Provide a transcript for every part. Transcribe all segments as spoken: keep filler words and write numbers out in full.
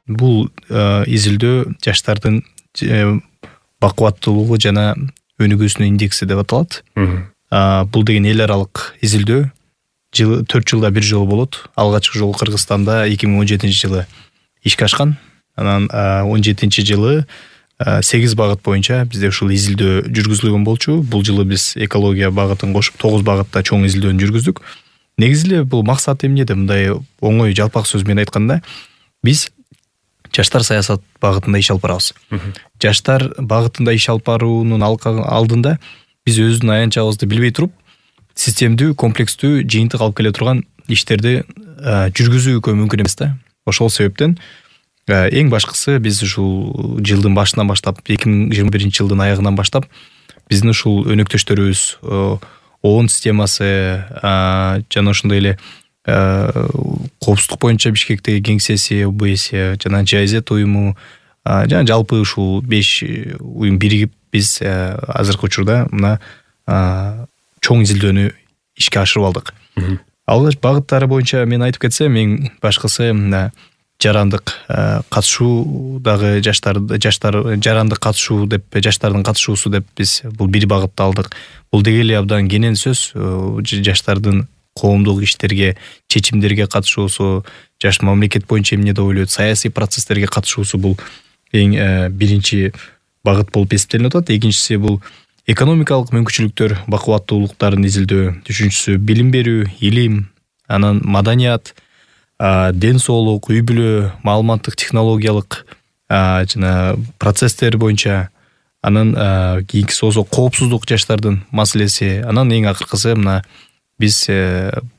Бул изилдөө жаштардын бакубаттуулугу жана өнүгүүсүнүн индекси деп аталат. Бул деген эл аралык изилдөө жылы төрт жылда бир жолу болот. Алгачкы жолу Кыргызстанда эки миң он жетинчи жылы ишке ашкан. Анан он жетинчи жылы сегиз багыт боюнча бизде ушул изилдөө жүргүзүлгөн болчу. Бул жылы биз экология багытын кошуп тогуз багытта чоң изилдөөнү жүргүздүк. Негизи эле бул максат эмнеде? Мындай оңой жалпак сөз менен айтканда, биз жаштар саясат багытында иш алып барабыз. Жаштар багытында иш алып баруунун алдында биз өзүбүздүн аянтчабызды билбей туруп, системдүү, комплекстүү жыйынтык алып келе турган иштерди жүргүзүүгө мүмкүн эмес да. Ошол себептен эң башкысы биз ушул жылдын башынан баштап, эки миң жыйырма биринчи жылдын аягынан баштап биздин ушул өнөктөштөрүбүз ООН системасы жана ошондой эле коопсуздук боюнча Бишкектеги кеңсеси, ОБС жана Джи Ай Зет уюму жана жалпы ушул беш уюм биригип биз азыркы учурда мына чоң изилдөөнү ишке ашырып алдык. Алгач багыттары боюнча мен айтып кетсем, эң башкысы жарандык катышуу дагы жаштар жаштар жарандык катышуу деп жаштардын катышуусу деп биз бул бир багытты алдык. Бул деги эле абдан кенен сөз. Жаштардын коомдук иштерге, чечимдерге катышуусу, жаш мамлекет боюнча эмне деп ойлойт, саясий процесстерге катышуусу бул эң биринчи багыт болуп эсептелип атат. Экинчиси бул экономикалык мүмкүнчүлүктөр, бакубаттуулуктарын изилдөө. Үчүнчүсү билим берүү, илим, анан маданият, ден соолук, үй бүлө, маалыматтык технологиялык жана процесстер боюнча, анан кийинкиси болсо коопсуздук жаштардын маселеси, анан эң акыркысы мына биз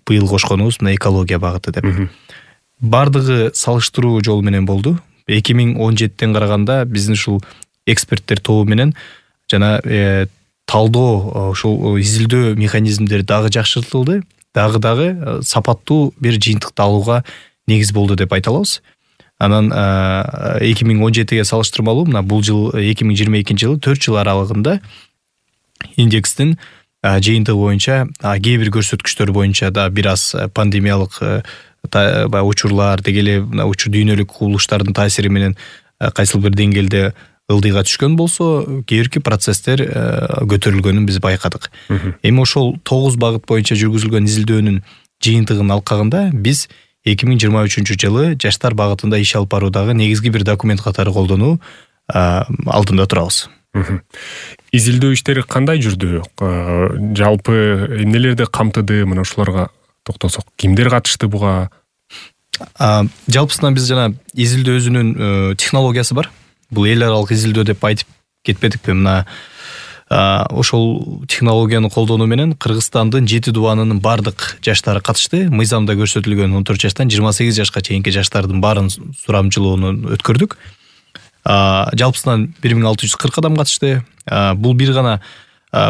быйыл кошконубуз мына экология багыты деп. Бардыгы салыштыруу жолу менен болду. эки миң он жетиден караганда биздин ушул эксперттер тобу менен жана талдоо, ушул изилдөө механизмдери дагы жакшыртылды. Дагы дагы сапаттуу бир жыйынтыкты алууга негиз болду деп айта алабыз. Анан эки миң он жетиге салыштырмалуу мына бул жыл эки миң жыйырма экинчи жылы төрт жыл аралыгында индекстин жыйынтыгы боюнча кээ бир көрсөткүчтөр боюнча да бир аз пандемиялык учурлар, деги эле учур дүйнөлүк кубулуштардын таасири менен кайсыл бир деңгээлде ылдыйга түшкөн болсо, кээ бирки процесстер көтөрүлгөнүн биз байкадык. Эми ошол тогуз багыт боюнча жүргүзүлгөн изилдөөнүн жыйынтыгын алкагында биз эки миң жыйырма үчүнчү жылы жаштар багытында иш алып баруудагы негизги бир документ катары колдонуу алдында турабыз. Изилдөө иштери кандай жүрдү? Жалпы эмнелерди камтыды? Мына ушуларга токтосок, кимдер катышты буга? Жалпысынан биз жана изилдөө өзүнүн технологиясы бар. Бул эл аралык изилдөө деп айтып кетпедикпи? Мына ошол технологияны колдонуу менен Кыргызстандын жети дубанынын бардык жаштары катышты. Мыйзамда көрсөтүлгөн он төрт жаштан жыйырма сегиз жашка чейинки жаштардын баарын сурамжылоону өткөрдүк. Жалпысынан бир миң алты жүз кырк адам катышты. Бул бир гана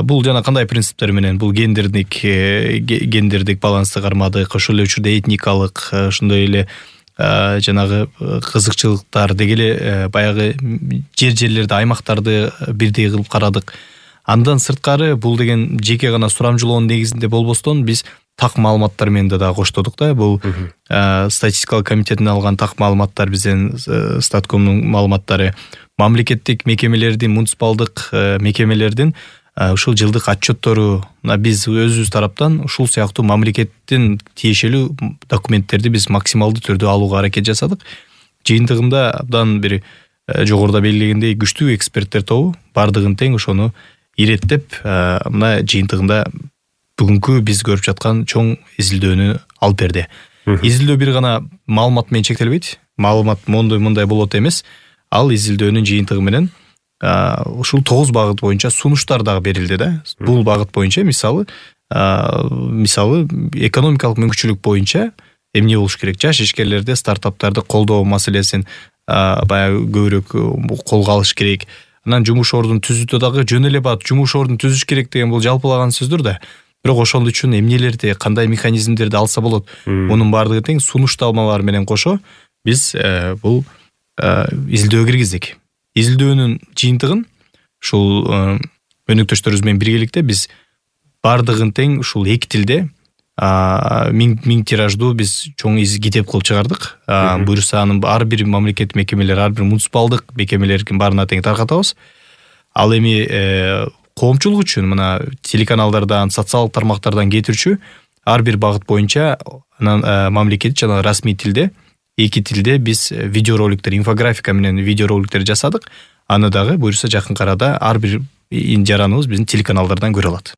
бул жана кандай принциптер менен? Бул гендердик гендердик балансты кармадык, ошол эле учурда этникалык, ошондой эле жанагы кызыкчылыктар, деги эле баягы жер-жерлерди, аймактарды бирдей кылып карадык. Андан сырткары бул деген жеке гана сурамжылоонун негизинде болбостон биз так маалыматтар менен да коштодук да. Бул статистикалык комитеттин алган так маалыматтар, биздин Статкомдун маалыматтары, мамлекеттик мекемелердин, муниципалдык мекемелердин ушул жылдык отчеттору, биз өзүбүз тараптан ушул сыяктуу мамлекеттин тиешелүү документтерди биз максималдуу түрдө алууга аракет жасадык. Жыйынтыгында абдан бир жогоруда белгилегендей күчтүү эксперттер тобу бардыгын тең ошону иреттеп, мына жыйынтыгында бүгүнкү биз көрүп жаткан чоң изилдөөнү алып берди. Изилдөө бир гана маалымат менен чектелбейт. Маалымат мондой мындай болот эмес. Ал изилдөөнүн жыйынтыгы менен ушул тогуз багыт боюнча сунуштар дагы берилди да. Бул багыт боюнча мисалы мисалы экономикалык мүмкүнчүлүк боюнча эмне болуш керек? Жаш ишкерлерди, стартаптарды колдоо маселесин баягы көбүрөөк колго алыш керек. Анан жумуш ордун түзүүдө дагы жөн эле бат жумуш ордун түзүш керек деген бул жалпылаган сөздөр да. Бирок ошол үчүн эмнелерди, кандай механизмдерди алса болот? Мунун бардыгы тең сунушталмалар менен кошо биз бул изилдөөгө киргиздик. Изилдөөнүн жыйынтыгын ушул өнөктөштөрүбүз менен биргеликте биз бардыгын тең ушул эки тилде миң миң тираждуу биз чоң китеп кылып чыгардык. Буюрса анын ар бир мамлекеттик мекемелер, ар бир муниципалдык мекемелердин баарына тең таркатабыз. Ал эми коомчулук үчүн мына телеканалдардан, социалдык тармактардан кетирчү ар бир багыт боюнча анан мамлекет жана расмий тилде, эки тилде биз видеороликтер, инфографика менен видеороликтер жасадык. Аны дагы буюрса жакын арада ар бир жараныбыз биздин телеканалдардан көрө алат.